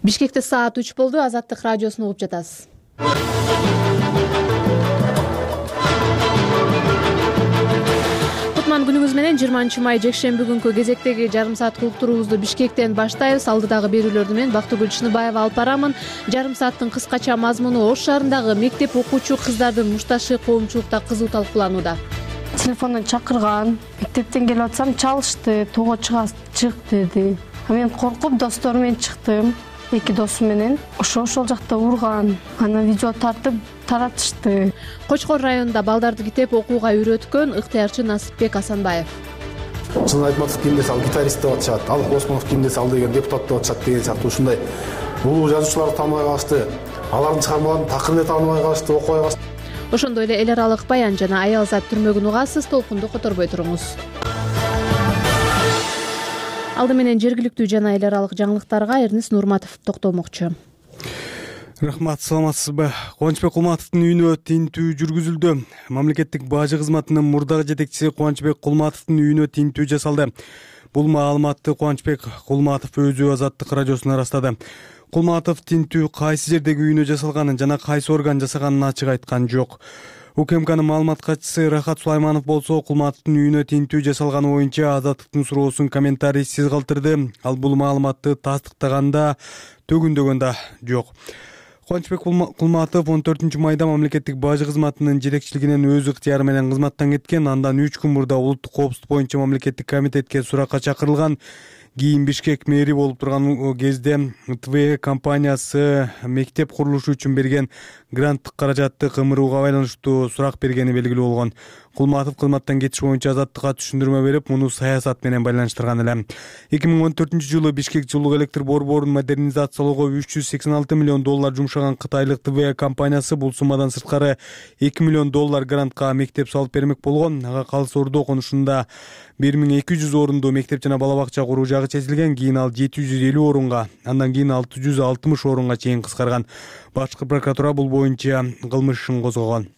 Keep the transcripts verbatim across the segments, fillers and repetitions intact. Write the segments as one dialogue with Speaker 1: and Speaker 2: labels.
Speaker 1: Бишкекте саат үч болду. Азаттык радиосун угуп жатасыз. Кутман күнүңүз менен жыйырманчы май жекшемби күнкү кезектеги жарым сааттык уктуруубузду Бишкектен баштайбыз. Алдыдагы берүүлөрдү мен Бактыгүл Чыныбаева алып барамын. Жарым сааттын кыскача мазмуну: Ош шаарындагы мектеп окуучу кыздардын мушташы коомчулукта кызуу талкууланууда.
Speaker 2: Телефондон чакырган, мектептен келип атсам чалышты, тоого чык деди. Мен коркуп достору менен чыктым. Эки досу менен ошо ошол жакта урган. Аны видео тартып таратышты.
Speaker 1: Кочкор районунда балдарды китеп окууга үйрөткөн ыктыярчы Насипбек Асанбаев.
Speaker 3: Чын Айтматов кимде сал гитарист деп атышат, Алык Осмонов кимде сал деген депутат деп атышат деген сыяктуу ушундай улуу жазуучуларды тааныбай калышты. Алардын чыгармаларын такыр эле тааныбай калышты, окубай калышты.
Speaker 1: Ошондой эле эл аралык баян жана аялзат түрмөгүн угасыз. Толкунду которбой туруңуз. Алды менен жергиликтүү жана эл аралык жаңылыктарга Эрнис Нурматов токтолмокчу.
Speaker 4: Рахмат, саламатсызбы? Кубанычбек Кулматовдун үйүнө тинтүү жүргүзүлдү. Мамлекеттик бажы кызматынын мурдагы жетекчиси Кубанычбек Кулматовдун үйүнө тинтүү жасалды. Бул маалыматты Кубанычбек Кулматов өзү Азаттык радиосуна ырастады. Кулматов тинтүү кайсы жердеги үйүнө жасалганын жана кайсы орган жасаганын ачык айткан жок. УКМКнын маалымат катчысы Рахат Сулайманов болсо Кулматовдун үйүнө тинтүү жасалганы боюнча Азаттыктын суроосун комментарийсиз калтырды. Ал бул маалыматты тастыктаганда төгүндөгөн да жок. Кубанычбек Кулматов он төртүнчү майда мамлекеттик бажы кызматынын жетекчилигинен өз ыктыяры менен кызматтан кеткен. Андан үч күн мурда улуттук коопсуздук боюнча мамлекеттик комитетке суракка чакырылган. Кийин Бишкек мэри болуп турган кезде ТВ компаниясы мектеп курулушу үчүн берген гранттык каражатты кымырууга байланыштуу сурак бергени белгилүү болгон. Кулматов кызматтан кетиш боюнча Азаттыкка түшүндүрмө берип, муну саясат менен байланыштырган эле. эки миң он төртүнчү жылы Бишкек жылуу электр борборун модернизациялоого үч жүз сексен алты миллион доллар жумшаган кытайлык ТВ компаниясы бул суммадан сырткары эки миллион доллар грантка мектеп салып бермек болгон. Ага Калыс Ордо окунушунда бир миң эки жүз орунду мектеп жана бала бакча куруу жагы чечилген. Кийин ал жети жүз элүү орунга, андан кийин алты жүз алтымыш орунга чейин кыскарган. Башкы прокуратура бул боюнча кылмыш ишин козгогон.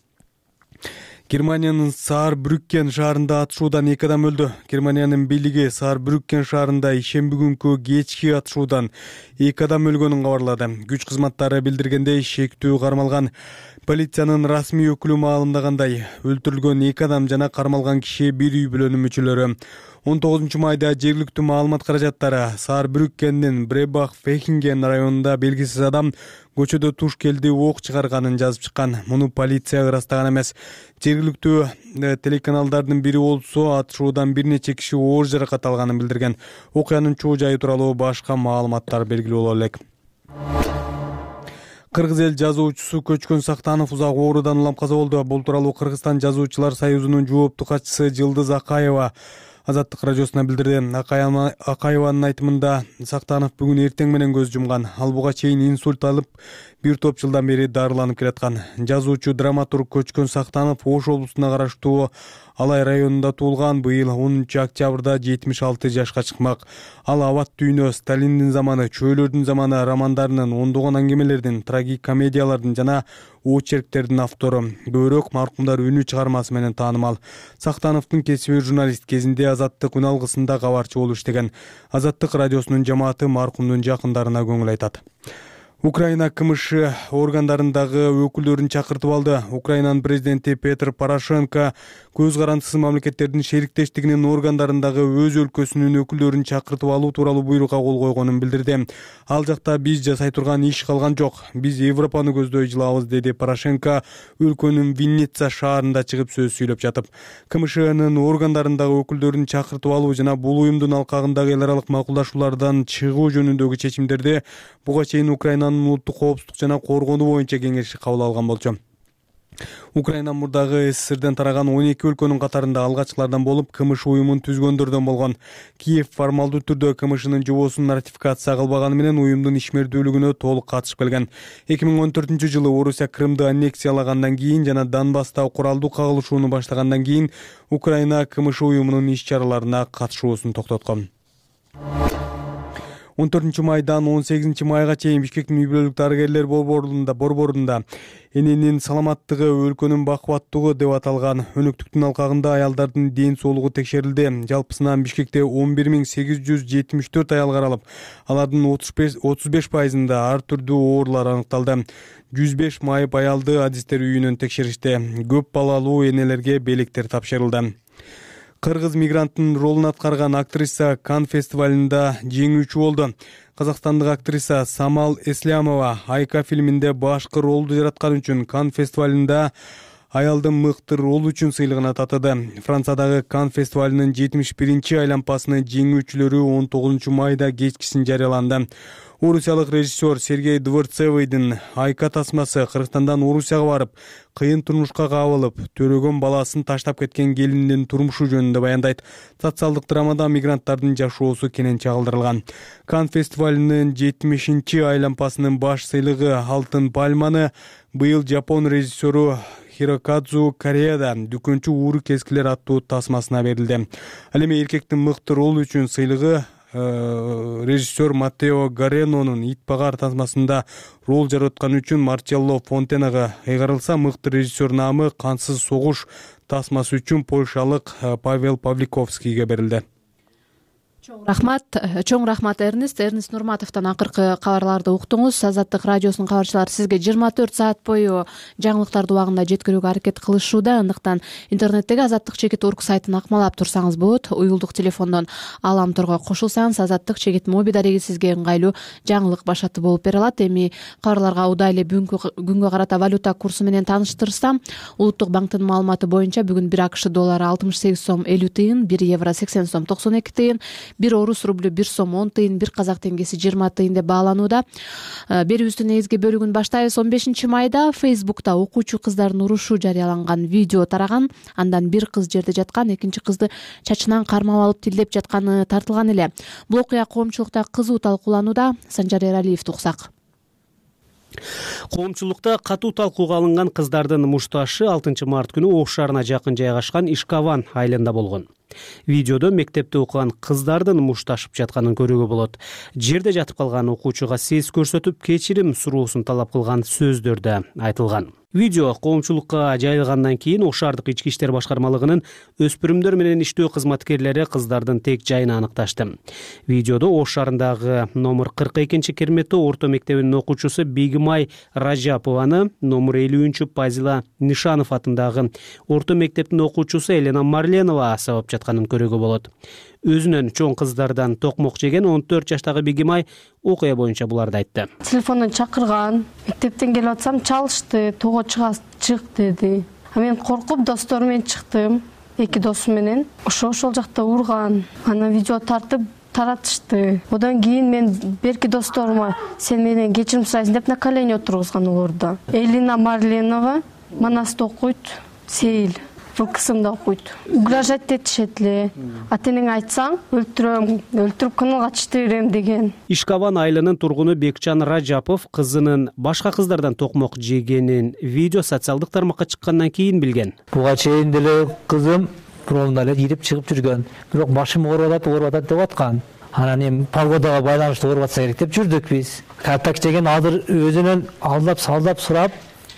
Speaker 4: Германиянын Саарбрюккен шаарында атышуудан эки адам өлдү. Германиянын бийлиги Саарбрюккен шаарында ишемби күнкү кечки атышуудан эки адам өлгөнүн кабарлады. Күч кызматтары билдиргендей, шектүү кармалган. Полициянын расмий өкүлү маалымдагандай, өлтүрүлгөн эки адам жана кармалган киши бир үй бүлөнүн мүчөлөрү. он тогузунчу майда жергиликтүү маалымат каражаттары Саарбрюккендин Бребах-Фехинген районунда белгисиз адам көчөдө туш келди ок чыгарганын жазып чыккан. Муну полиция ырастаган эмес. Жергиликтүү телеканалдардын бири болсо атышуудан бир нече киши оор жаракат алганын билдирген. Окуянын чоо жайы тууралуу башка маалыматтар белгилүү боло элек. Кыргыз эл жазуучусу Көчкөн Сактанов узак оорудан улам каза болду. Бул тууралуу Кыргызстан жазуучулар союзунун жооптуу катчысы Жылдыз Акаева Азаттык радиосуна билдирди. Акаеванын айтымында Сактанов бүгүн эртең менен көз жумган. Ал буга чейин инсульт алып, бир топ жылдан бери дарыланып келаткан. Жазуучу драматург Көчкөн Сактанов Ош облусуна караштуу Алай районунда туулган. Быйыл онунчу октябрда жетимиш алты жашка чыкмак. Ал Абат дүйнө, Сталиндин заманы, Чөйлөрдүн заманы романдарынын, ондогон аңгемелердин, трагикомедиялардын жана очерктердин автору. Көбүрөөк маркумдар үнү чыгармасы менен таанымал. Сактановдун кесиби журналист, кезинде Азаттык үн алгысында кабарчы болуп иштеген. Азаттык радиосунун жамааты маркумдун жакындарына көңүл айтат. Украина КМШ органдарындагы өкүлдөрүн чакыртып алды. Украинанын президенти Петр Порошенко көз карандысыз мамлекеттердин шериктештигинин органдарындагы өз өлкөсүнүн өкүлдөрүн чакыртып алуу тууралуу буйрукка кол койгонун билдирди. Ал жакта биз жасай турган иш калган жок. Биз Европаны көздөй жылабыз, деди Порошенко өлкөнүн Винница шаарында чыгып сөз сүйлөп жатып. КМШнын органдарындагы өкүлдөрүн чакыртып алуу жана бул уюмдун алкагындагы эл аралык макулдашуулардан чыгуу жөнүндөгү чечимдерди буга чейин Украинанын улуттук коопсуздук жана коргонуу боюнча кеңеши кабыл алган болчу. Украина мурдагы СССРден тараган он эки өлкөнүн катарында алгачкылардан болуп, КМШ уюмун түзгөндөрдөн болгон. Киев формалдуу түрдө КМШнын жобосун ратификация кылбаганы менен уюмдун ишмердүүлүгүнө толук катышып келген. эки миң он төртүнчү жылы Орусия Крымды аннексиялагандан кийин жана Донбасста куралдуу кагылышууну баштагандан кийин Украина КМШ уюмунун иш чараларына катышуусун токтоткон. он төртүнчү майдан он сегизинчи майга чейин Бишкектин үй бүлөлүк дарыгерлер борборунда борборунда эненин саламаттыгы өлкөнүн бакубаттуулугу деп аталган өнөктүктүн алкагында аялдардын ден соолугу текшерилди. Жалпысынан Бишкекте он бир миң сегиз жүз жетимиш төрт аял каралып, алардын отуз беш пайызында ар түрдүү оорулар аныкталды. жүз беш майып аялды адистер үйүнөн текшеришти. Көп балалуу энелерге белектер тапшырылды. Кыргыз мигранттын ролун аткарган актриса Канн фестивалында жеңүүчү болду. Казакстандык актриса Самал Эслямова Айка фильминде башкы ролду жараткан үчүн Канн фестивалында аялдын мыкты ролу үчүн сыйлыгына татыды. Франциядагы Канн фестивалынын жетимиш биринчи айланпасынын жеңүүчүлөрү он тогузунчу майда кечкисин жарыяланды. Орусиялык режиссер Сергей Дворцевыйдын Айка тасмасы Кыргызстандан Орусияга барып, кыйын турмушка кабылып, төрөгөн баласын таштап кеткен келиндин турмушу жөнүндө баяндайт. Социалдык драмада мигранттардын жашоосу кенен чагылдырылган. Канн фестивалынын жетимишинчи айланпасынын баш сыйлыгы Алтын пальманы быйыл Жапон режиссеру Хирокадзу Кореяда Дүкөнчү ууру кескилер аттуу тасмасына берилди. Ал эми эркектин мыкты ролу үчүн сыйлыгы режиссер Матео Гаренонун Ит багар тасмасында рол жараткан үчүн Марчелло Фонтенага ыйгарылса, мыкты режиссер наамы Кансыз согуш тасмасы үчүн польшалык Павел Павликовскийге берилди.
Speaker 1: Чоң рахмат, чоң рахмат Эрнест, Эрнест Нурматовдон акыркы кабарларды уктуңуз. Азаттык радиосунун кабарчылары сизге жыйырма төрт саат бою жаңылыктарды убагында жеткирүүгө аракет кылышууда. Андыктан интернеттеги азаттык чекит орг сайтын акмалап турсаңыз болот. Уюлдук телефондон Алам торго кошулсаңыз, азаттык чекит моби дареги сизге ыңгайлуу жаңылык башаты болуп бере алат. Эми кабарларга удай эле күнгө карата валюта курсу менен тааныштырсам, Улуттук банктын маалыматы боюнча бүгүн бир АКШ доллары алтымыш сегиз сом элүү тыйын, бир евро сексен сом токсон эки тыйын, бир орус рублю бир сом он тыйын, бир казак теңгеси жыйырма тыйын деп бааланууда. Берүүбүздүн негизги бөлүгүн баштайбыз. он бешинчи майда Фейсбукта окуучу кыздардын урушу жарыяланган видео тараган. Андан бир кыз жерде жаткан, экинчи кызды чачынан кармап алып тилдеп жатканы тартылган эле. Бул окуя коомчулукта кызуу талкууланууда. Санжар Эралиев туксак.
Speaker 5: Коомчулукта катуу талкууга алынган кыздардын мушташы алтынчы март күнү Ош шаарына жакын жайгашкан Ишкаван айылында болгон. Видеодо мектепте окуган кыздардын мушташып жатканын көрүүгө болот. Жерде жатып калган окуучуга сес көрсөтүп, кечирим суроосун талап кылган сөздөр да айтылган. Видео коомчулукка жайылгандан кийин Ош шаардык ички иштер башкармалыгынын өспүрүмдөр менен иштөө кызматкерлери кыздардын тек жайын аныкташты. Видеодо Ош шаарындагы номер кырк экинчи Керметтөө орто мектебинин окуучусу Бегимай Ражапованы, номер элүүнчү Пазила Нишанов атындагы орто мектептин окуучусу Елена Марленова сабап жатканын көрүүгө болот. Өзүнөн чоң кыздардан токмок жеген он төрт жаштагы Бегимай окуя боюнча буларды айтты.
Speaker 2: Телефондон чакырган, мектептен келип атсам чалышты, тоо чык деди. А мен коркуп досторум менен чыктым, эки досум менен. Ошо ошол жакта урган, анан видео тартып таратышты. Одан кийин мен берки досторума сен менен кечирим сурайсың деп на колени отургузган олорду. Елена Марленова Манаста окуйт, Сейил бул кысымда окуйт. Угрожать этишет эле. Атенең айтсаң, өлтүрөм, өлтүрүп каналга чыгып берем деген.
Speaker 5: Ишкаван айылынын тургуну Бекчан Ражапов кызынын башка кыздардан токмок жегенин видео социалдык тармакка чыккандан кийин билген.
Speaker 6: Буга чейин деле кызым бұрында эле ирип чыгып жүргөн. Бирок башым ооруп атат, ооруп атат деп аткан. Анан эми погодага байланыштуу ооруп атса керек деп жүрдүк биз. Картак деген азыр өзүнөн алдап салдап сурап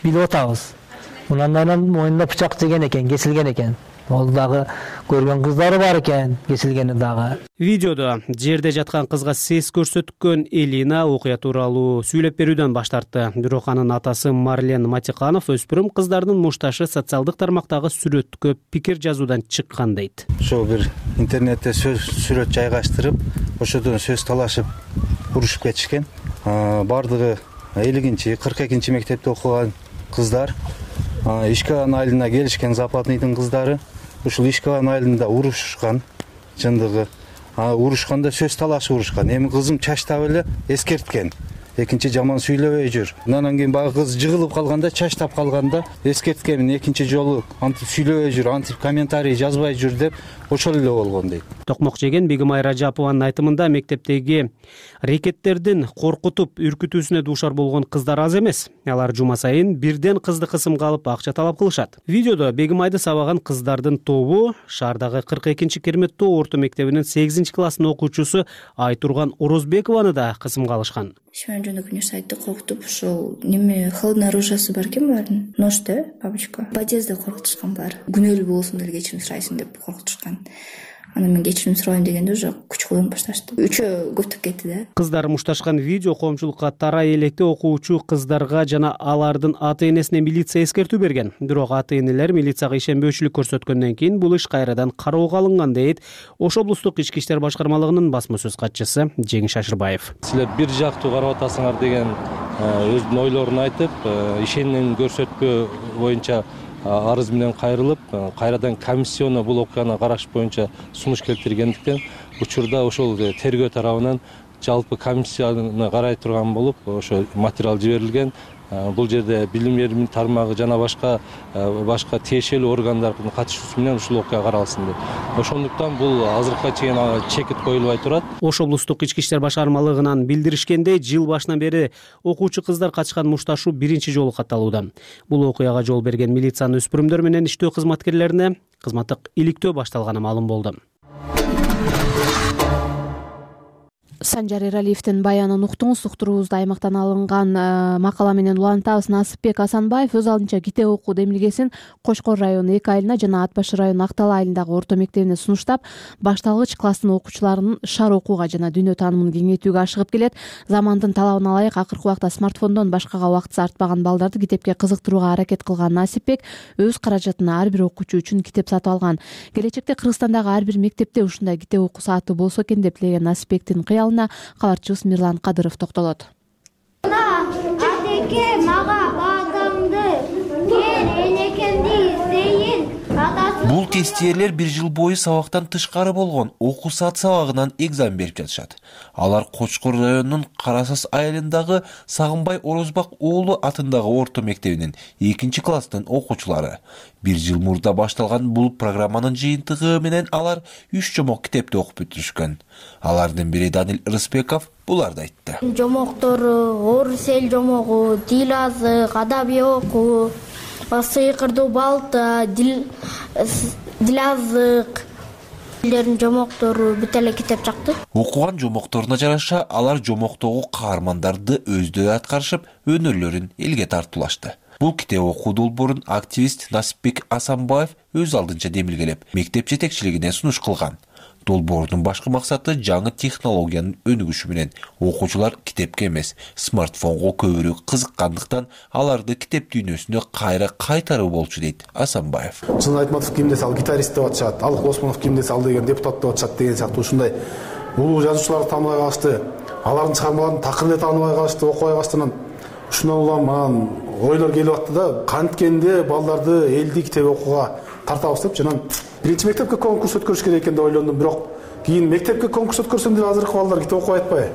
Speaker 6: билип атабыз. Мындан мойнуна бычак жеген экен, кесилген экен. Ол дагы көргөн кыздары бар экен, кесилгени дагы.
Speaker 5: Видеодо жерде жаткан кызга сес көрсөткөн Элина окуя тууралуу сүйлөп берүүдөн баш тартты. Бирок анын атасы Марлен Матиканов өспүрүм кыздардын мушташы социалдык тармактагы сүрөткө пикир жазуудан чыккан дейт.
Speaker 7: Ошо бир интернетте сөз сүрөт жайгаштырып, ошодон сөз талашып урушуп кетишкен. Бардыгы элүүнчү, кырк экинчи мектепте окуган кыздар. Ишкаван айылына келишкен Западныйдын кыздары ушул Ишкаван айылында урушушкан, чындыгы. Урушканда сөз талашып урушкан. Эми кызым чачтап эле эскерткен. экинчи жаман сүйлөбөй жүр. Андан кийин баягы кыз жыгылып калганда, чачтап калганда эскерткемин экинчи жолу антип сүйлөбөй жүр, антип комментарий жазбай жүр деп ошол эле болгон дейт.
Speaker 5: Токмок жеген Бегимай Ражапованын айтымында мектептеги рекеттердин коркутуп үркүтүүсүнө дуушар болгон кыздар аз эмес. Алар жума сайын бирден кызды кысымга алып акча талап кылышат. Видеодо Бегимайды сабаган кыздардын тобу шаардагы кырк экинчи Керметтоо орто мектебинин сегизинчи класстын окуучусу Айтурган Орозбекованы да кысымга алышкан.
Speaker 8: Шманжонок университетти коркутуп ушул неме холодный оружиясы бар экен баарын. Нож да, бабочка. Подъездде коркутушкан бар. Күнөөлүү болсун деле кечирим сурайсың деп коркутушкан. Анан мен кечирим сурайм дегенде уже күч колдонуп башташты. Үчөө көптөп кетти да.
Speaker 5: Кыздар мушташкан видео коомчулукка тарай электе окуучу кыздарга жана алардын ата-энесине милиция эскертүү берген. Бирок ата-энелер милицияга ишенбөөчүлүк көрсөткөндөн кийин бул иш кайрадан кароого алынган дейт Ош облустук ички иштер башкармалыгынын басма сөз катчысы Жеңиш Ашырбаев.
Speaker 9: Силер бир жактуу карап атасыңар деген өздүн ойлорун айтып, ишеним көрсөтпөө боюнча арыз менен кайрылып, кайрадан комиссионно бул окуяны караш боюнча сунуш келтиргендиктен учурда ошол тергөө тарабынан жалпы комиссияны карай турган болуп, ошо материал жиберилген. Бул жерде билим берүү тармагы жана башка башка тиешелүү органдардын катышуусу менен ушул окуя каралсын деп. Ошондуктан бул азыркыга чейин чекит коюлбай турат.
Speaker 5: Ош облустук ички иштер башкармалыгынан билдиришкендей, жыл башынан бери окуучу кыздар катышкан мушташуу биринчи жолу катталууда. Бул окуяга жол берген милициянын өспүрүмдөр менен иштөө кызматкерлерине кызматтык иликтөө башталганы маалым болду.
Speaker 1: Санжар Эралиевдин баянын уктуңуз. Уктуруубузда аймактан алынган макала менен улантабыз. Насипбек Асанбаев өз алдынча китеп окуу демилгесин Кошкор району эки айылына жана Ат башы району Актал айылындагы орто мектебине сунуштап, башталгыч класстын окуучуларынын шаар окууга жана дүйнө таанымын кеңейтүүгө ашыгып келет. Замандын талабына ылайык акыркы убакта смартфондон башкага убактысы артпаган балдарды китепке кызыктырууга аракет кылган Насипбек өз каражатына ар бир окуучу үчүн китеп сатып алган. Келечекте Кыргызстандагы ар бир мектепте ушундай китеп окуу сааты болсо экен деп тилеген Насипбектин кыялына кабарчыбыз Мирлан Кадыров токтолот.
Speaker 10: Атеке мага бадамды, кен энекемди издейин.
Speaker 11: Бул тестиерлер бир жыл бою сабактан тышкары болгон окуу саат сабагынан экзамен берип жатышат. Алар Кочкор районунун Карасас айылындагы Сагынбай Орозбак уулу атындагы орто мектебинин экинчи класстын окуучулары. Бир жыл мурда башталган бул программанын жыйынтыгы менен алар үч жомок китепти окуп бүтүрүшкөн. Алардын бири Данил Рыспеков буларды айтты.
Speaker 10: Жомоктору орус эл жомогу, тил азык, адабий окуу, сыйкырдуу балта, дил дилазык дилдердин жомоктору бүт эле китеп чыкты.
Speaker 11: Окуган жомокторуна жараша алар жомоктогу каармандарды өздөрү аткарышып, өнөрлөрүн элге тартуулашты. Бул китеп окуу долбоорун активист Насипбек Асанбаев өз алдынча демилгелеп, мектеп жетекчилигине сунуш кылган. Долбоордун башкы максаты жаңы технологиянын өнүгүшү менен окуучулар китепке эмес, смартфонго көбүрөөк кызыккандыктан аларды китеп дүйнөсүнө кайра кайтаруу болчу дейт Асанбаев.
Speaker 3: Чын Айтматов кимде сал гитарист деп атышат, Алык Осмонов кимде сал деген депутат деп атышат деген сыяктуу ушундай улуу жазуучуларды тааныбай калышты, алардын чыгармаларын такыр эле тааныбай калышты, окубай калыштан ушундан улам анан ойлор келип атты да, канткенде балдарды элди китеп окууга тартабыз деп жана биринчи мектепке конкурс өткөрүш керек экен деп ойлондум, бирок кийин мектепке конкурс өткөрсөм деле азыркы балдар китеп окубай атпайбы?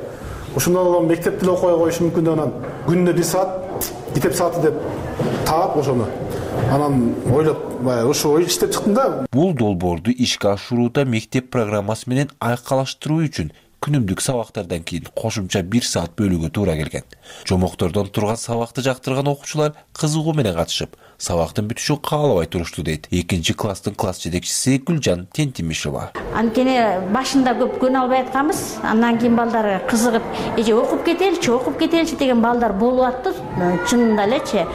Speaker 3: Ошондон улам мектепти эле окубай коюшу мүмкүн деп анан күнүнө бир саат китеп сааты деп таап ошону анан ойлоп ушу ой иштеп чыктым да.
Speaker 11: Бул долбоорду ишке ашырууда мектеп программасы менен айкалаштыруу үчүн күнүмдүк сабактардан кийин кошумча бир саат бөлүүгө туура келген. Жомоктордон турган сабакты жактырган окуучулар кызыгуу менен катышып, сабактын бүтүшүн каалабай турушту дейт экинчи класстын класс жетекчиси Гүлжан Тентимишова.
Speaker 12: Анткени башында көп көнө албай атканбыз, андан кийин балдар кызыгып, эже окуп кетеличи, окуп кетеличи деген балдар болуп атты. Чынында элечи.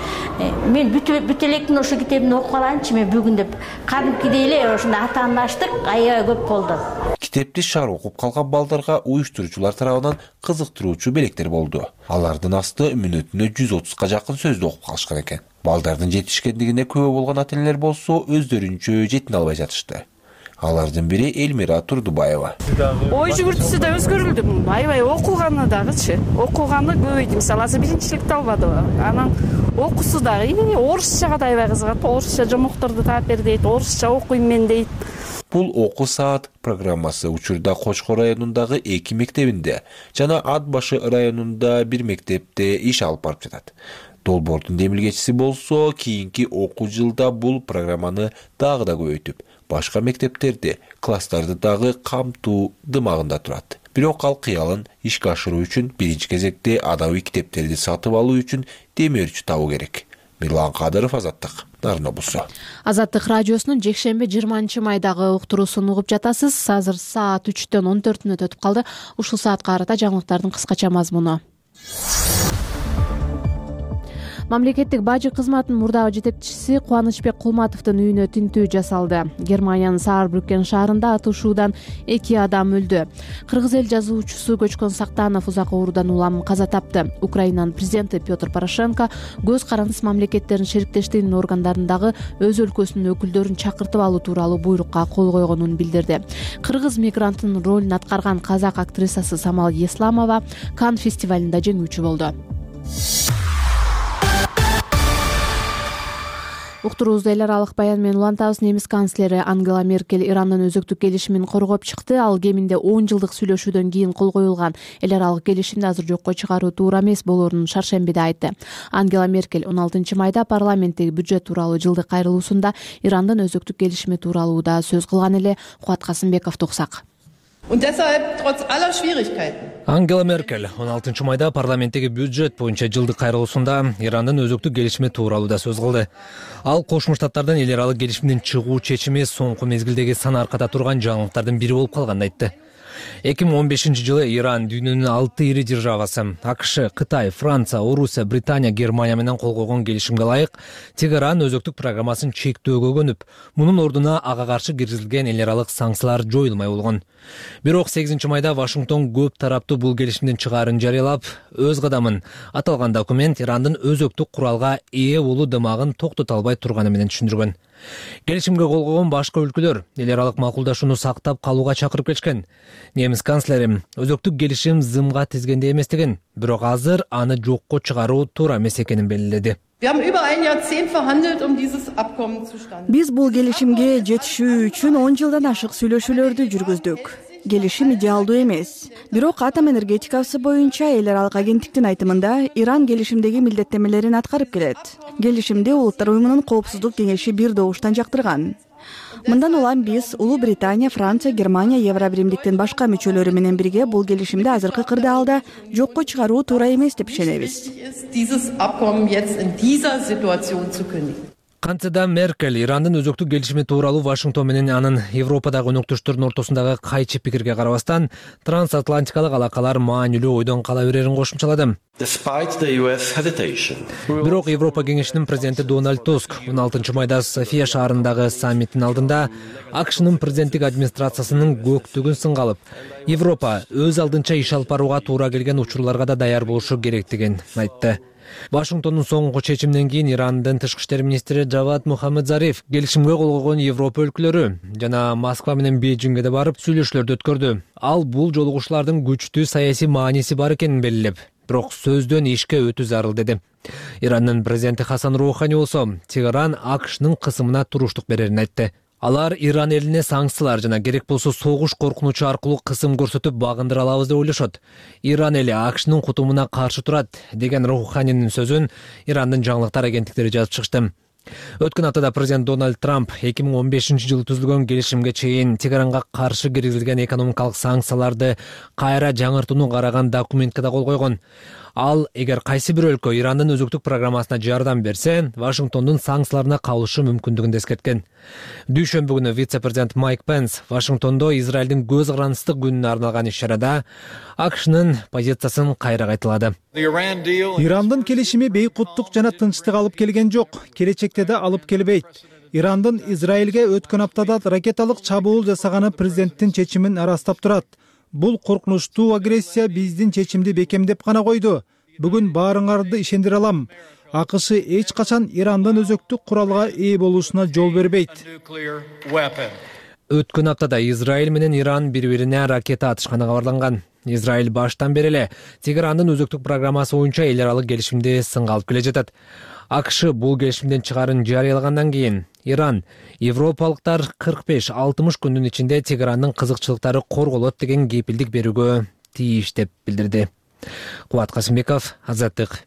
Speaker 12: Мен бүт электин ошо китебин окуп алайынчы мен бүгүн деп кадимкидей эле ошондой атаандаштык аябай көп болду.
Speaker 11: Китепти шаар окуп калган балдарга уюштуруучулар тарабынан кызыктыруучу белектер болду. Алардын асты мүнөтүнө жүз отузга жакын сөздү окуп калышкан экен. Балдардын жетишкендигине күбө болгон ата-энелер болсо өздөрүнчө жетине албай жатышты. Алардын бири Элмира Турдубаева.
Speaker 13: Ой жүгүртүүсү да өзгөрүлдү. Аябай окуганы дагычы. Окуганы көбөйдү. Мисалы азыр биринчиликти албады. Анан окуусу дагы орусчага да аябай кызыгат. Орусча жомокторду таап бер дейт, орусча окуйм мен дейт.
Speaker 11: Бул окуу саат программасы учурда Кочкор районундагы эки мектебинде жана Ат башы районунда бир мектепте иш алып барып жатат. Долбоордун демилгечиси болсо кийинки окуу жылда бул программаны дагы да көбөйтүп, башка мектептерди, класстарды дагы камтуу дымагында турат. Бирок ал кыялын ишке ашыруу үчүн биринчи кезекте адабий китептерди сатып алуу үчүн демөөрчү табуу керек. Мирлан Кадыров, Азаттык, Нарын облусу.
Speaker 1: Азаттык радиосунун жекшемби жыйырманчы майдагы уктуруусун угуп жатасыз. Азыр саат үчтөн он төрт мүнөт өтүп калды. Ушул саатка карата жаңылыктардын кыскача мазмуну. Мамлекеттик бажы кызматынын мурдагы жетекчиси Кубанычбек Кулматовдун үйүнө тинтүү жасалды. Германиянын Саарбрюкен шаарында атышуудан эки адам өлдү. Кыргыз эл жазуучусу Көчкөн Сактанов узак оорудан улам каза тапты. Украинанын президенти Петр Порошенко көз карандыс мамлекеттердин шериктештигинин органдарындагы өз өлкөсүнүн өкүлдөрүн чакыртып алуу тууралуу буйрукка кол койгонун билдирди. Кыргыз мигранттын ролун аткарган казак актрисасы Самал Есламова Канн фестивалында жеңүүчү болду. Уктуруубузду эл аралык баян менен улантабыз. Немис канцлери Ангела Меркель Ирандын өзөктүк келишимин коргоп чыкты. Ал кеминде он жылдык сүйлөшүүдөн кийин кол коюлган эл аралык келишимди азыр жокко чыгаруу туура эмес болоорун шаршембиде айтты. Ангела Меркель он алтынчы майда парламенттеги бюджет тууралуу жылдык кайрылуусунда Ирандын өзөктүк келишими тууралуу да сөз кылган эле. Кубат Касымбековду уксак.
Speaker 14: Ангела Меркель он алтынчы майда парламенттеги бюджет боюнча жылдык кайрылуусунда Ирандын өзөктүк келишими тууралуу да сөз кылды. Ал Кошмо Штаттардын эл аралык келишимден чыгуу чечими соңку мезгилдеги сан аркада турган жаңылыктардын бири болуп калганын айтты. эки миң он бешинчи жылы Иран дүйнөнүн алты ири державасы АКШ, Кытай, Франция, Орусия, Британия, Германия менен кол койгон келишимге ылайык Тегеран өзөктүк программасын чектөөгө көнүп, мунун ордуна ага каршы киргизилген эл аралык санкциялар жоюлмай болгон. Бирок сегизинчи майда Вашингтон көп тараптуу бул келишимдин чыгаарын жарыялап, өз кадамын аталган документ Ирандын өзөктүк куралга ээ болуу дымагын токтото албай турганы менен түшүндүргөн. Келишимге кол койгон башка өлкөлөр эл аралык макулдашууну сактап калууга чакырып келишкен. Немис канцлери өзөктүк келишим зымга тизгендей эместигин, бирок азыр аны жокко чыгаруу туура эмес экенин белгиледи.
Speaker 15: Биз бул келишимге жетишүү үчүн он жылдан ашык сүйлөшүүлөрдү жүргүздүк. Келишим идеалдуу эмес. Бирок атом энергетикасы боюнча эл аралык агенттиктин айтымында Иран келишимдеги милдеттемелерин аткарып келет. Келишимди Улуттар уюмунун коопсуздук кеңеши бир добуштан жактырган. Мындан улам биз Улуу Британия, Франция, Германия, Евробиримдиктин башка мүчөлөрү менен бирге бул келишимди азыркы кырдаалда жокко чыгаруу туура эмес деп ишенебиз.
Speaker 14: Кантсе Меркель Ирандын өзөктүк келишими тууралуу Вашингтон менен анын Европадагы өнөктөштөрүнүн ортосундагы кайчы пикирге карабастан трансатлантикалык алакалар маанилүү ойдон кала берерин кошумчалады. Бирок Европа кеңешинин президенти Дональд Туск он алтынчы майда София шаарындагы саммиттин алдында АКШнын президенттик администрациясынын көктүгүн сынга алып, Европа өз алдынча иш алып барууга туура келген учурларга да даяр болушу керектигин айтты. Вашингтондун соңку чечиминен кийин Ирандын тышкы иштер министри Джавад Мухаммед Зариф келишимге кол койгон Европа өлкөлөрү жана Москва менен Бейжиңге да барып сүйлөшүүлөрдү өткөрдү. Ал бул жолугушуулардын күчтүү саясий мааниси бар экенин белгилеп, бирок сөздөн ишке өтүү зарыл деди. Ирандын президенти Хасан Роухани болсо Тегеран АКШнын кысымына туруштук берерин айтты. Алар Иран элине санкциялар жана керек болсо согуш коркунучу аркылуу кысым көрсөтүп багындыра алабыз деп ойлошот. Иран эли АКШнын кутумуна каршы турат деген Роуханинин сөзүн Ирандын жаңылыктар агенттиктери жазып чыгышты. Өткөн аптада президент Дональд Трамп эки миң он бешинчи жылы түзүлгөн келишимге чейин Тегеранга каршы киргизилген экономикалык санкцияларды кайра жаңыртууну караган документке да кол койгон. Ал эгер кайсы бир өлкө Ирандын өзөктүк программасына жардам берсе, Вашингтондун санкцияларына кабылышы мүмкүндүгүн эскерткен. Дүйшөмбү күнү вице-президент Майк Пенс Вашингтондо Израилдин көз карандыстык күнүнө арналган иш-чарада АКШнын позициясын кайра кайталады.
Speaker 16: Ирандын келишими бейкуттук жана тынчтык алып келген жок, келечекте да алып келбейт. Ирандын Израилге өткөн аптада ракеталык чабуул жасаганы президенттин чечимин арастап турат. Бул коркунучтуу агрессия биздин чечимди бекемдеп гана койду. Бүгүн баарыңарды ишендире алам. АКШ эч качан Ирандын өзөктүк куралга ээ болушуна жол бербейт.
Speaker 14: Өткөн аптада Израиль менен Иран бири-бирине ракета атышканы кабарланган. Израиль баштан бери эле Тегерандын өзөктүк программасы боюнча эл аралык келишимди сынга алып келе жатат. АКШ бул келишимден чыгаарын жарыялагандан кийин Иран: европалыктар кырк беш алтымыш күндүн ичинде Тегерандын кызыкчылыктары корголот деген кепилдик берүүгө тийиш деп билдирди. Кубат Касымбеков, Азаттык.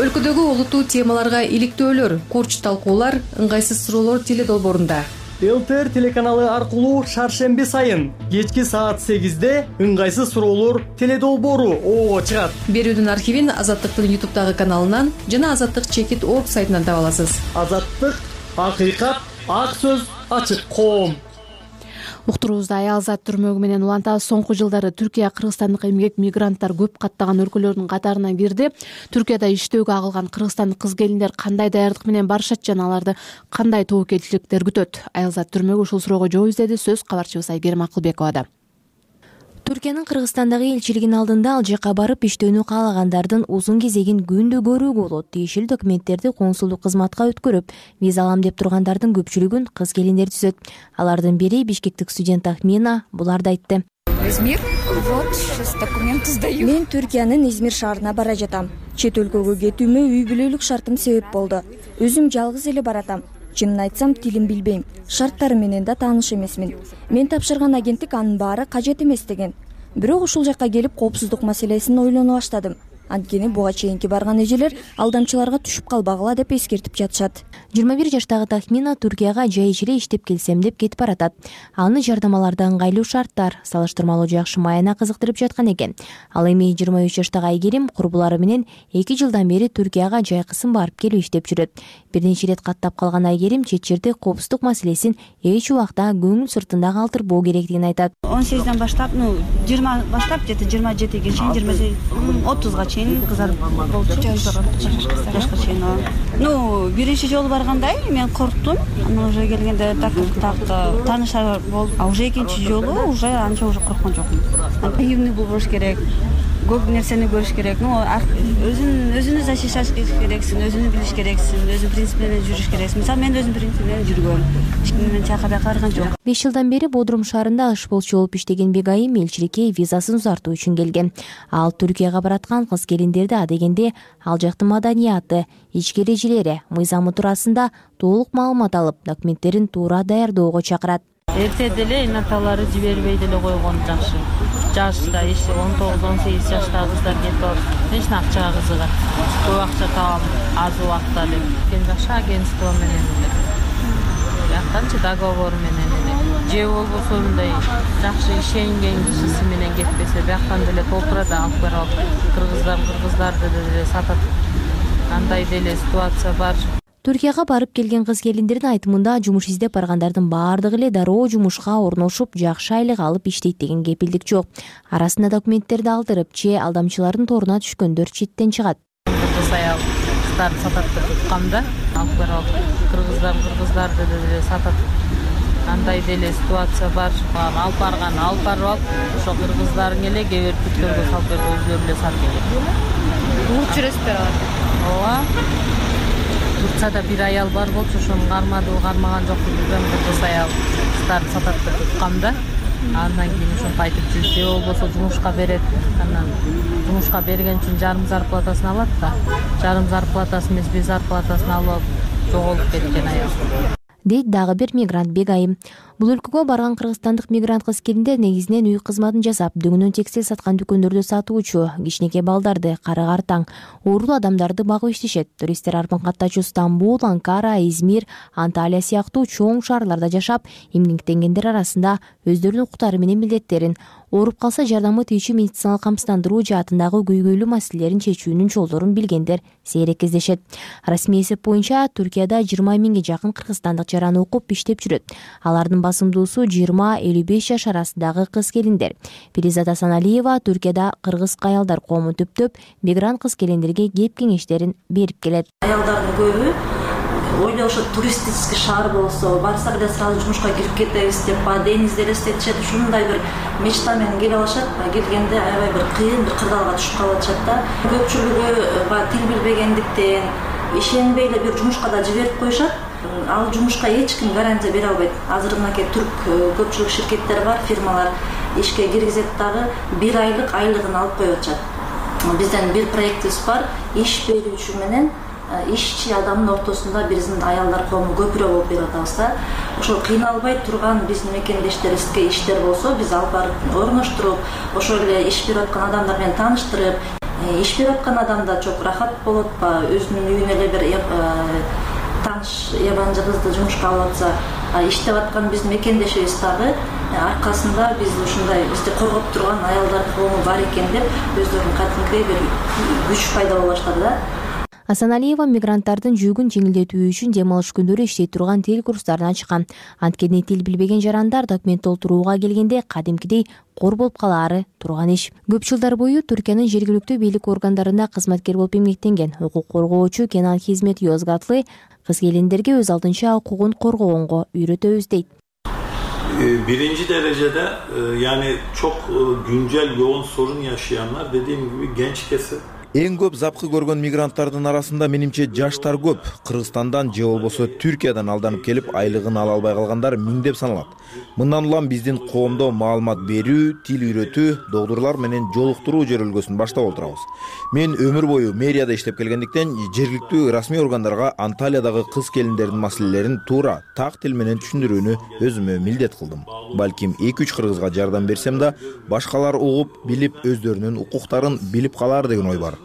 Speaker 17: Өлкөдөгү олуттуу темаларга иликтөөлөр, корч талкуулар, ыңгайсыз суроолор теледолбоорунда.
Speaker 18: ЛТР телеканалы аркылуу шаршемби сайын кечки саат сегизде ыңгайсыз суроолор теледолбоору ого чыгат.
Speaker 17: Берүүдүн архивин Азаттыктын ютубтагы каналынан жана Азаттык чекит орг сайтынан таба аласыз.
Speaker 18: Азаттык, акыйкат, ак сөз, ачык коом.
Speaker 1: Уктуруубузда аялзат түрмөгү менен улантабыз. Соңку жылдары Түркия кыргызстандык эмгек мигранттар көп каттаган өлкөлөрдүн катарына кирди. Түркияда иштөөгө агылган кыргызстандык кыз-келиндер кандай даярдык менен барышат жана аларды кандай тобокелчиликтер күтөт? Аялзат түрмөгү ушул суроого жооп издеди. Сөз кабарчыбыз Айгерим Акылбековада.
Speaker 19: Түркиянын Кыргызстандагы элчилигинин алдында ал жака барып иштөөнү каалагандардын узун кезегин күндү көрүүгө болот. Тиешелүү документтерди консулдук кызматка өткөрүп, виза алам деп тургандардын көпчүлүгүн кыз-келиндер түзөт. Алардын бири бишкектик студент Ахмина буларды айтты.
Speaker 20: Измир, вот сейчас документы сдаю. Мен Түркиянын Измир шаарына бара жатам. Чет өлкөгө кетүүмө үй бүлөлүк шартым себеп болду. Өзүм жалгыз эле баратам. Чынын айтсам, тилин билбейм. Шарттары менен да тааныш эмесмин. Мен тапшырган агенттик анын баары кажет эмес деген. Бирок ушул жакка келип коопсуздук маселесин ойлоно баштадым. Анткени буга чейинки барган эжелер алдамчыларга түшүп калбагыла деп эскертип жатышат.
Speaker 19: жыйырма бир жаштагы Тахмина Түркияга жай эле иштеп келсем деп кетип баратат. Аны жардамаларда ыңгайлуу шарттар, салыштырмалуу жакшы майына кызыктырып жаткан экен. Ал эми жыйырма үч жаштагы Айгерим курбулары менен эки жылдан бери Түркияга жайкысын барып келип иштеп жүрөт. Бир нече ирет каттап калган Айгерим чет жерде коопсуздук маселесин эч убакта көңүл сыртында калтырбоо керектигин айтат.
Speaker 21: он сегизден баштап, ну, жыйырма баштап, жети жыйырма жетиге чейин, жыйырма отузга чейин кыздар болчу. Жашка чейин. Ну, биринчи жолу баргандай мен корктум. Анан уже келгенде так так таанышар болуп, а уже экинчи жолу уже анча уже корккон жокмун. Наивный болуш керек. Көп нерсени көрүш керек. Ну, өзүн өзүнү защищать керексиң, өзүнү билиш керексиң, өзүнүн принцип менен жүрүш керексиң. Мисалы, мен өзүмдүн принцип менен жүргөм. Эч ким менен чакырып караган жок.
Speaker 19: беш жылдан бери Бодрум шаарында ышболчу болуп иштеген Бегайым элчиликке визасын узартуу үчүн келген. Ал Түркияга бараткан кыз-келиндерди адегенде ал жактын маданияты, ички эрежелери, мыйзамы туурасында толук маалымат алып, документтерин туура даярдоого чакырат.
Speaker 22: Эрте деле наталары жибербей деле койгон жакшы. Жашта иши он тогуз он сегиз жаштагы кыздар кетип алып, эч акчага кызыгат. Көп акча табам аз убакытта деп. Кен жакшы агентство менен эле. Жактанчы договор менен эле. Же болбосо мындай жакшы ишенген кишиси менен кетпесе, бияктан деле толтурат, алып барып кыргыздар кыргыздарды деле сатат. Андай деле ситуация бар.
Speaker 19: Түркияга барып келген кыз-келиндердин айтымында жумуш издеп баргандардын баардыгы эле дароо жумушка орношуп, жакшы айлык алып иштейт деген кепилдик жок. Арасында документтерди алдырып, же алдамчылардын торуна түшкөндөр четтен чыгат.
Speaker 22: Саял кыздар сатат деп уткамда, алып барып кыргыздар кыргыздарды деле сатат. Андай деле ситуация бар. Алып барган, алып барып алып, ошо кыргыздарын эле кээ бир бүттөргө салып берип өздөрү эле сатып келет.
Speaker 17: Угуп жүрөсүздөр алар.
Speaker 22: Ооба. Турцияда бир аял бар болчу, ошону кармады, кармаган жокпу билбейм, кыз аял кыздарды сатат деп уткамда. Андан кийин ошентип айтып жүр, же болбосо жумушка берет. Анан жумушка берген үчүн жарым зарплатасын алат да. Жарым зарплатасын эмес, бир зарплатасын алып жоголуп кеткен аял.
Speaker 19: Дейт дагы бир мигрант Бегайым. Бул өлкөгө барган кыргызстандык мигрант кыз-келиндер негизинен үй кызматын жасап, дөңүнөн текстиль саткан дүкөндөрдө сатуучу, кичинекей балдарды, кары-картаң, оорулуу адамдарды багып иштешет. Туристтер арбан каттачу Стамбул, Анкара, Измир, Анталия сыяктуу чоң шаарларда жашап, эмгектенгендер арасында өздөрүнүн укуктары менен милдеттерин, ооруп калса жардамы тийүүчү медициналык камсыздандыруу жаатындагы көйгөйлүү маселелерин чечүүнүн жолдорун билгендер сейрек кездешет. Расмий эсеп боюнча Түркияда жыйырма миңге жакын кыргызстандык жараны окуп иштеп жүрөт. Алардын басымдуусу жыйырма элүү беш жаш арасындагы кыз-келиндер. Перизат Асаналиева Түркияда кыргыз аялдар коомун түптөп, мигрант кыз-келиндерге кеп кеңештерин берип келет.
Speaker 21: Аялдардын көбү ойлой ошо туристический шаар болсо, барсак эле сразу жумушка кирип кетебиз деп, ба денизде элестетишет, ушундай бир мечта менен келип алышат. Келгенде аябай бир кыйын, бир кырдаалга түшүп калып атышат да. Көпчүлүгү ба тил билбегендиктен ишенбей эле бир жумушка да жиберип коюшат. Ал жумушка эч ким гарантия бере албайт. Азыр мынакей түрк көпчүлүк ширкеттер бар, фирмалар ишке киргизет дагы бир айлык айлыгын алып коюп атышат. Бизден бир проектибиз бар, иш берүүчү менен
Speaker 2: ишчи адамдын ортосунда биздин аялдар коому көпүрөөк болуп берип атабыз да. Ошол кыйналбай турган биздин мекендештерибизге иштер болсо, биз алып барып орноштуруп, ошол эле иш берип аткан адамдар менен тааныштырып, иш берип аткан адамда чок рахат болот, өзүнүн үйүнө эле бир тааныш ябанчы кызды жумушка алып атса, иштеп аткан биздин мекендешибиз дагы аркасында биз ушундай бизди коргоп турган аялдар коому бар экен деп өздөрүнүн кадимки бир күч пайда боло баштады да.
Speaker 19: Асаналиева мигранттардын жүгүн жеңилдетүү үчүн дем алыш күндөрү иштей турган тил курстарын ачкан. Анткени тил билбеген жарандар документ толтурууга келгенде кадимкидей кор болуп калаары турган иш. Көп жылдар бою Түркиянын жергиликтүү бийлик органдарында кызматкер болуп эмгектенген укук коргоочу Кенан Хизмет Йозгатлы кыз келиндерге өз алдынча укугун коргогонго үйрөтөбүз дейт.
Speaker 4: Birinci derecede yani çok güncel yoğun sorun yaşayanlar dediğim gibi genç kesim.
Speaker 23: Эң көп запкы көргөн мигранттардын арасында менимче жаштар көп. Кыргызстандан же болбосо Түркиядан алданып келип айлыгын ала албай калгандар миңдеп саналат. Мындан улам биздин коомдо маалымат берүү, тил үйрөтүү, доктурлар менен жолуктуруу жөрөлгөсүн баштап отурабыз. Мен өмүр бою мэрияда иштеп келгендиктен жергиликтүү расмий органдарга Анталиядагы кыз келиндердин маселелерин туура так тил менен түшүндүрүүнү өзүмө милдет кылдым. Балким эки үч кыргызга жардам берсем да, башкалар угуп, билип, өздөрүнүн укуктарын билип калар деген ой бар.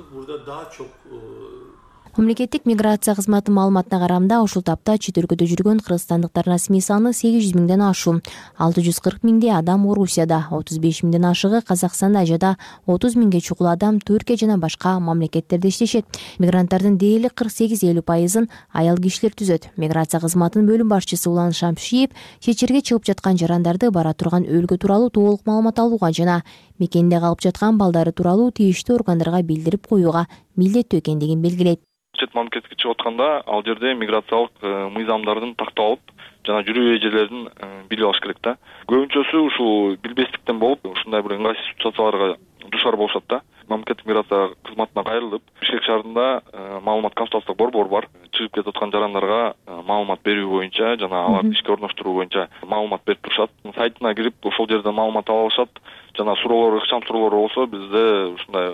Speaker 19: Мамлекеттик миграция кызматы маалыматына караганда ушул тапта чет өлкөдө жүргөн кыргызстандыктардын расмий саны сегиз жүз миңден ашуун. алты жүз кырк миңдей адам Орусияда, отуз беш миңден ашыгы Казакстанда жада отуз миңге чукул адам Түркия жана башка мамлекеттерде иштешет. Мигранттардын дээрлик кырк сегиз элүү пайызын аял кишилер түзөт. Миграция кызматынын бөлүм башчысы Улан Шамшиев чечерге чыгып жаткан жарандарды бара турган өлкө тууралуу толук маалымат алууга жана мекенде калып жаткан балдары тууралуу тийиштүү органдарга билдирип коюуга милдеттүү экендигин белгилейт.
Speaker 24: Чет мамлекетке чыгып атканда ал жерде миграциялык мыйзамдардын такталып жана жүрүү эрежелерин билип алыш керек да. Көбүнчөсү ушул билбестиктен болуп, ушундай бир ыңгайсыз ситуацияларга душар болушат да. Мамлекеттик миграция кызматына кайрылып, Бишкек шаарында маалымат консультациялык борбор бар. Чыгып кетип аткан жарандарга маалымат берүү боюнча жана аларды ишке орноштуруу боюнча маалымат берип турушат. Сайтына кирип, ошол жерден маалымат ала алышат. Жана суроолор, ыкчам суроолор болсо, бизде ушундай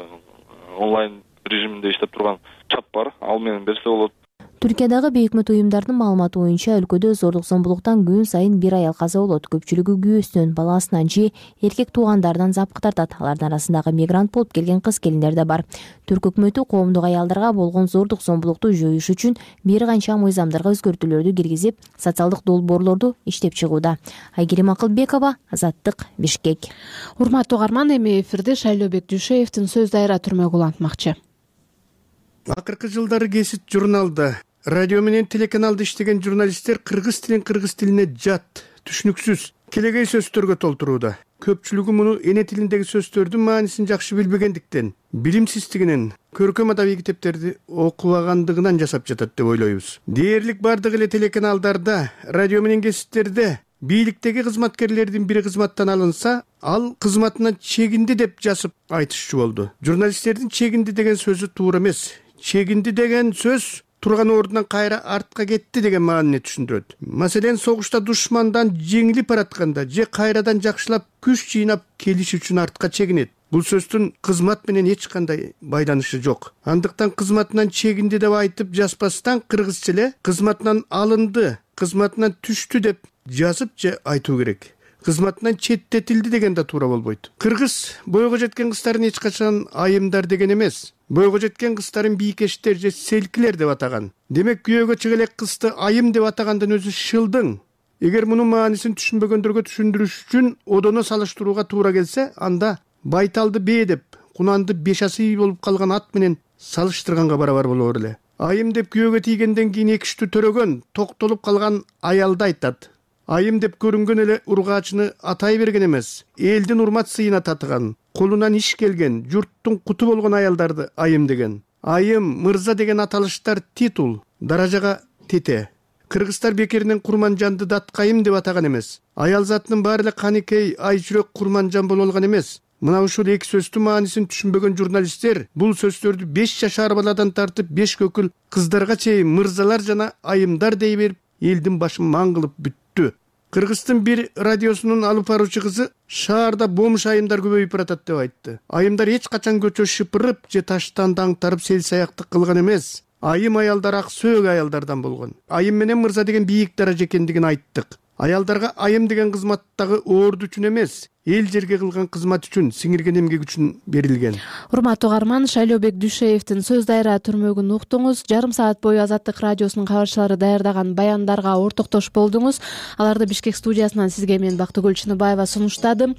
Speaker 24: онлайн режиминде иштеп турган чат бар, ал менен берсе болот.
Speaker 19: Түркиядагы бейөкмөт уюмдардын маалыматы боюнча өлкөдө зордук зомбулуктан күн сайын бир аял каза болот. Көпчүлүгү күйөөсүнөн, баласынан же эркек туугандарынан запкы тартат. Алардын арасындагы мигрант болуп келген кыз келиндер да бар. Түрк өкмөтү коомдук аялдарга болгон зордук зомбулукту жоюш үчүн бир канча мыйзамдарга өзгөртүүлөрдү киргизип, социалдык долбоорлорду иштеп чыгууда. Айгерим Акылбекова, Азаттык, Бишкек.
Speaker 1: Урматтуу угарман, эми эфирде Шайлообек Дүйшөевдин сөз дайыра түрмөгү улантмакчы.
Speaker 25: Акыркы жылдары Кесит журналда, радио менен телеканалда иштеген журналисттер кыргыз тилин кыргыз тилине жат, түшүнүксүз, келегей сөздөргө толтурууда. Көпчүлүгү муну эне тилиндеги сөздөрдүн маанисин жакшы билбегендиктен, билимсиздигинен, көркөм адабий китептерди окубагандыгынан жасап жатат деп ойлойбуз. Дээрлик бардык эле телеканалдарда, радио менен кесиптерде бийликтеги кызматкерлердин бири кызматтан алынса, ал кызматынан чегинди деп жазып айтышчу болду. Журналисттердин чегинди деген сөзү туура эмес. Чегинди деген сөз турган ордунан кайра артка кетти деген маанини түшүндүрөт. Маселен, согушта душмандан жеңилип баратканда же кайрадан жакшылап күч жыйнап келиш үчүн артка чегинет. Бул сөздүн кызмат менен эч кандай байланышы жок. Андыктан кызматынан чегинди деп айтып жазбастан кыргызча эле кызматынан алынды, кызматынан түштү деп жазып же айтуу керек. Кызматынан четтетилди деген да туура болбойт. Кыргыз бойго жеткен кыздарын эч качан айымдар деген эмес. Бойго жеткен кыздарын бийкештер же селкилер деп атаган. Демек, күйөөгө чыга элек кызды айым деп атагандын өзү шылдың. Эгер мунун маанисин түшүнбөгөндөргө түшүндүрүш үчүн одоно салыштырууга туура келсе, анда байталды бээ деп, кунанды бешасы болуп калган ат менен салыштырганга барабар болор эле. Айым деп күйөөгө тийгенден кийин экиштүү төрөгөн, токтолуп калган аялды айтат. Айым деп көрүнгөн эле ургаачыны атай берген эмес, элдин урмат сыйына татыган, колунан иш келген, журттун куту болгон аялдарды айым деген. Айым, мырза деген аталыштар титул, даражага тете. Кыргыздар бекеринен Курманжанды Даткайым деп атаган эмес. Аял затынын баары эле Каникей, ай жүрөк Курманжан боло алган эмес. Мына ушул эки сөздүн маанисин түшүнбөгөн журналисттер бул сөздөрдү беш жашар баладан тартып беш көкүл кыздарга чейин мырзалар жана айымдар дей берип, элдин башын маң кылып бүттү. Кыргыздын бир радиосунун алып баруучу кызы шаарда бомж айымдар көбөйүп баратат деп айтты. Айымдар эч качан көчө шыпырып же таштан даңтарып сел саяктык кылган эмес. айым аялдар ак сөөк аялдардан болгон. Айым менен мырза деген бийик даража экендигин айттык. Аялдарга айым деген кызмат дагы орду үчүн эмес, эл жерге кылган кызмат үчүн, сиңирген эмгек үчүн берилген.
Speaker 1: Урматтуу угарман, Шайлообек Дүйшеевдин сөз дайра түрмөгүн уктуңуз. Жарым саат бою Азаттык радиосунун кабарчылары даярдаган баяндарга ортоктош болдуңуз. Аларды Бишкек студиясынан сизге мен Бактыгүл Чыныбаева сунуштадым.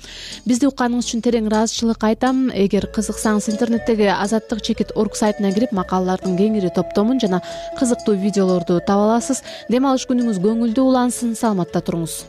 Speaker 1: Бизди укканыңыз үчүн терең ыраазычылык айтам. Эгер кызыксаңыз, интернеттеги азаттык чекит орг сайтына кирип макалалардын кеңири топтомун жана кызыктуу видеолорду таба аласыз. Дем алыш күнүңүз көңүлдүү улансын, саламатта туруңуз.